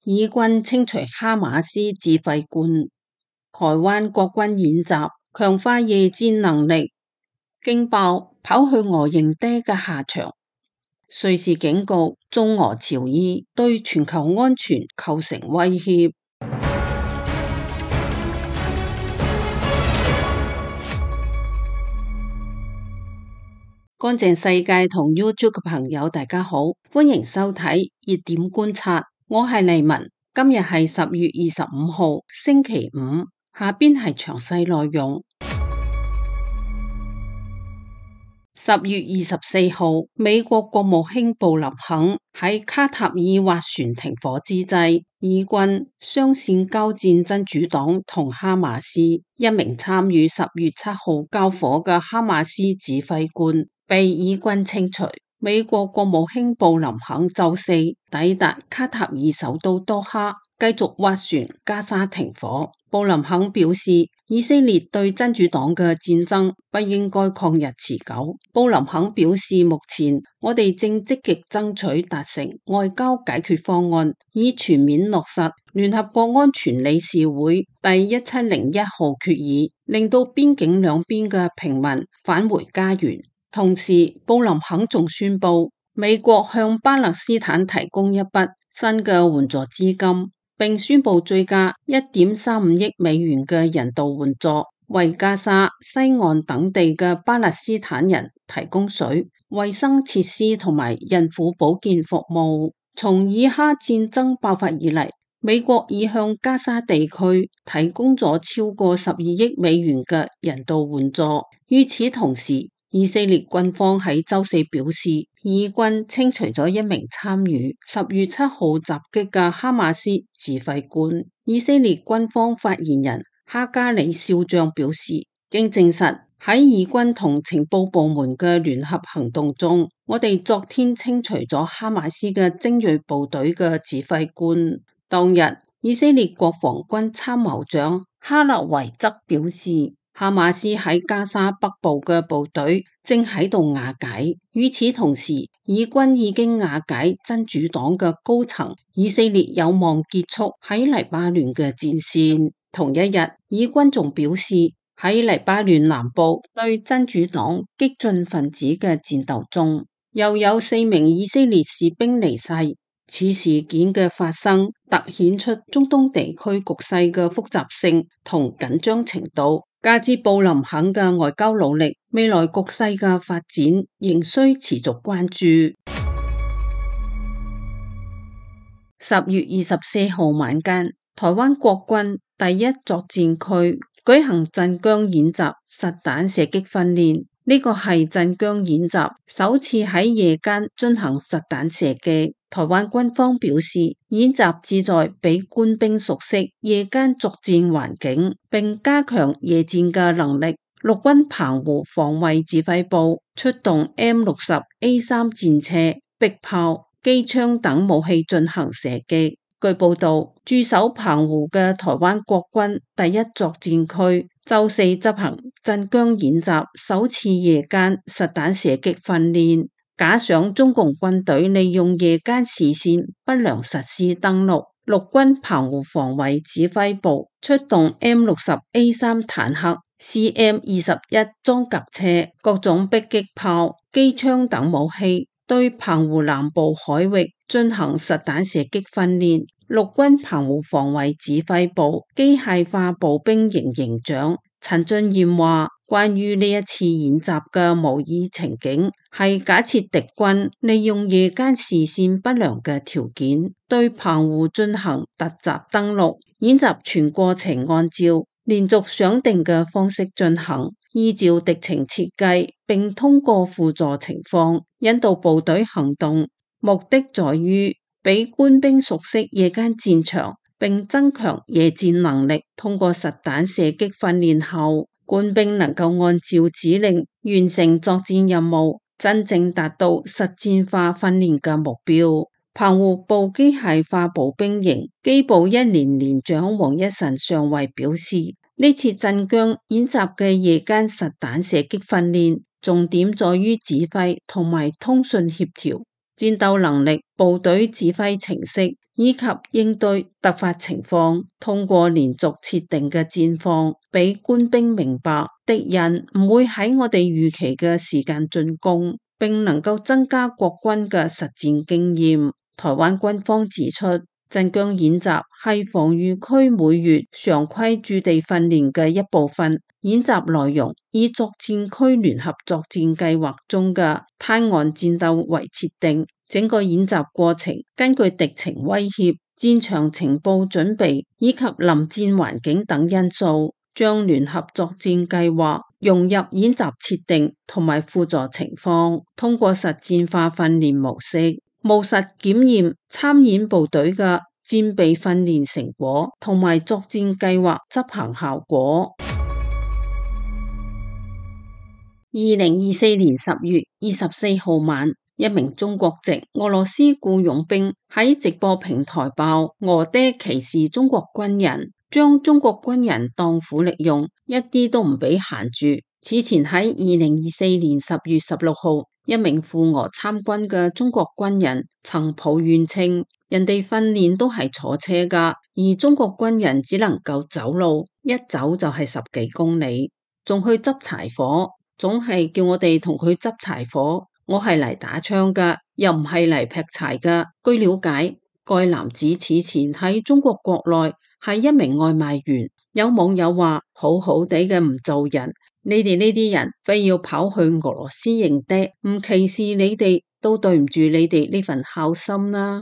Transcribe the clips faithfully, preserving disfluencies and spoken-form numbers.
以軍清除哈馬斯指揮官，台灣國軍演習強化夜戰能力，驚爆跑去俄營地嘅下場。瑞士警告中俄朝議對全球安全構成威脅。乾淨世界同 YouTube 嘅朋友大家好，歡迎收睇熱點觀察，我係麗文。今日係十月二十五號星期五，下邊係詳細內容。十月二十四號，美國國務卿布林肯喺卡塔爾斡旋停火之際，以軍雙線交戰真主黨同哈馬斯，一名參與十月七號交火嘅哈馬斯指揮官被以軍清除。美國國務卿布林肯周四抵達卡塔爾首都多哈，繼續斡旋加沙停火。布林肯表示，以色列對真主黨嘅戰爭不應該曠日持久。布林肯表示，目前我哋正積極爭取達成外交解決方案，以全面落實聯合國安全理事會第一千零一號決議，令到邊境兩邊嘅平民返回家園。同時，布林肯仲宣布，美國向巴勒斯坦提供一筆新嘅援助資金，並宣布追加一點三五億美元嘅人道援助，為加沙、西岸等地嘅巴勒斯坦人提供水、衛生設施同埋孕婦保健服務。從以哈戰爭爆發以嚟，美國已向加沙地區提供咗超過十二億美元嘅人道援助。與此同時，以色列軍方喺周四表示，以軍清除咗一名參與十月七號襲擊嘅哈馬斯指揮官。以色列軍方發言人哈加里少將表示，經證實喺以軍同情報部門嘅聯合行動中，我哋昨天清除咗哈馬斯嘅精銳部隊嘅指揮官。當日，以色列國防軍參謀長哈勒維則表示，哈馬斯喺加沙北部嘅部隊正喺度瓦解。與此同時，以軍已經瓦解真主黨嘅高層，以色列有望結束喺黎巴嫩嘅戰線。同一日，以軍仲表示，喺黎巴嫩南部對真主黨激進分子嘅戰鬥中，又有四名以色列士兵離世。此事件嘅發生凸顯出中東地區局勢嘅複雜性同緊張程度。加之布林肯嘅外交努力，未來局勢嘅發展仍需持續關注。十月二十四號晚間，台灣國軍第一作戰區舉行鎮江演習實彈射擊訓練，呢個係鎮江演習首次喺夜間進行實彈射擊。台灣軍方表示，演習旨在俾官兵熟悉夜間作戰環境，並加強夜戰嘅能力。陸軍澎湖防衛指揮部出動 M 六十 A 三戰車、迫炮、機槍等武器進行射擊。據報道，駐守澎湖嘅台灣國軍第一作戰區周四執行鎮江演習首次夜間實彈射擊訓練。假想中共軍隊利用夜間視線不良實施登陸，陸軍澎湖防衛指揮部出動 M 六十 A 三坦克、C M 二十一裝甲車、各種迫擊炮、機槍等武器，對澎湖南部海域進行實彈射擊訓練。陸軍澎湖防衛指揮部機械化步兵營營長陳俊彥話，關於呢一次演習嘅模擬情景，係假設敵軍利用夜間視線不良嘅條件，對澎湖進行突襲登陸。演習全過程按照連續想定嘅方式進行，依照敵情設計，並通過輔助情況引導部隊行動，目的在於俾官兵熟悉夜間戰場，並增強夜戰能力。通過實彈射擊訓練後，官兵能夠按照指令完成作戰任務，真正達到實戰化訓練嘅目標。澎湖部機械化步兵營機步一連連長黃一臣上尉表示，呢次鎮江演習嘅夜間實彈射擊訓練，重點在於指揮同埋通訊協調。戰鬥能力、部隊指揮程式以及應對突發情況，通過連續設定嘅戰況，俾官兵明白敵人唔會喺我哋預期嘅時間進攻，並能夠增加國軍嘅實戰經驗。台灣軍方指出，鎮江演習係防禦區每月常規駐地訓練嘅一部分。演習內容以作戰區聯合作戰計劃中嘅灘岸戰鬥為設定，整個演習過程根據敵情威脅、戰場情報準備以及臨戰環境等因素，將聯合作戰計劃融入演習設定同埋輔助情況，通過實戰化訓練模式，務實檢驗參演部隊嘅戰備訓練成果同埋作戰計劃執行效果。二零二四年十月二十四號晚，一名中國籍俄羅斯僱傭兵喺直播平台爆俄爹歧視中國軍人，將中國軍人當苦力用，一啲都唔俾閒住。此前喺二零二四年十月十六號，一名赴俄參軍嘅中國軍人曾抱怨稱，人哋訓練都係坐車噶，而中國軍人只能夠走路，一走就係十幾公里，仲去執柴火。總係叫我哋同佢執柴火，我係嚟打槍噶，又唔係嚟劈柴噶。據了解，該男子此前喺中國國內係一名外賣員。有網友話：好好地嘅唔做人，你哋呢啲人非要跑去俄羅斯認爹，唔歧視你哋都對唔住你哋呢份孝心啦。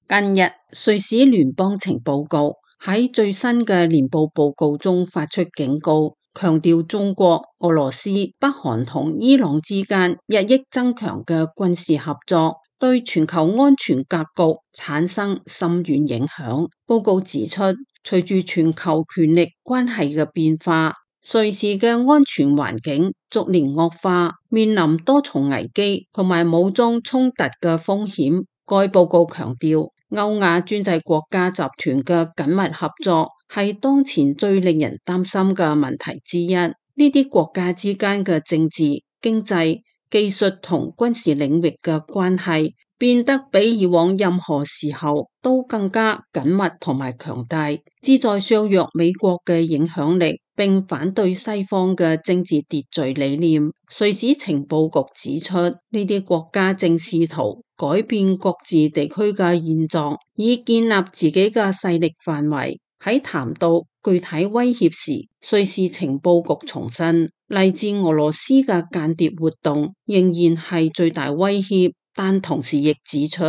近日，瑞士聯邦情報局喺最新嘅年報報告中發出警告，強調中國、俄羅斯、北韓同伊朗之間日益增強嘅軍事合作，對全球安全格局產生深遠影響。報告指出，隨住全球權力關係嘅變化，瑞士嘅安全環境逐年惡化，面臨多重危機同埋武裝衝突嘅風險。該報告強調，歐亞專制國家集團嘅緊密合作係當前最令人擔心嘅問題之一。呢啲國家之間嘅政治、經濟、技術同軍事領域嘅關係變得比以往任何時候都更加緊密同埋強大，旨在削弱美國嘅影響力，並反對西方嘅政治秩序理念。瑞士情報局指出，呢啲國家正試圖改變各自地區嘅現狀，以建立自己嘅勢力範圍。喺談到具體威脅時，瑞士情報局重申，嚟自俄羅斯嘅間諜活動仍然係最大威脅，但同時亦指出，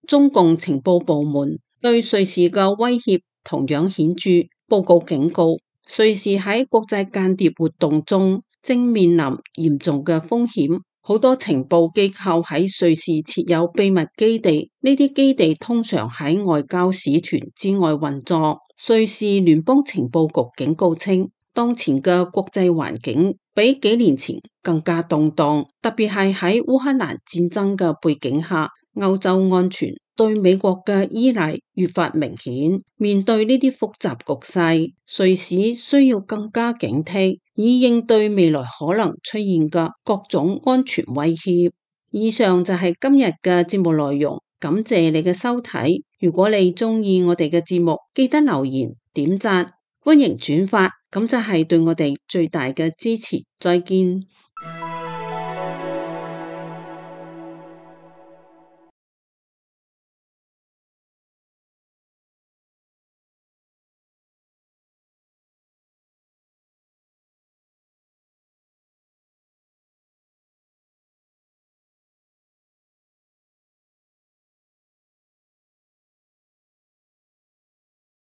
中共情報部門對瑞士嘅威脅同樣顯著。報告警告，瑞士喺國際間諜活動中正面臨嚴重嘅風險。好多情報機構喺瑞士設有秘密基地，呢啲基地通常喺外交使團之外運作。瑞士聯邦情報局警告稱，當前嘅國際環境比幾年前更加動盪，特別係喺烏克蘭戰爭嘅背景下，歐洲安全對美國嘅依賴越發明顯。面對呢啲複雜局勢，瑞士需要更加警惕，以應對未來可能出現嘅各種安全威脅。以上就係今日嘅節目內容，感謝你嘅收睇。如果你鍾意我哋嘅節目，記得留言、點讚、歡迎轉發，咁就係對我哋最大嘅支持。再見。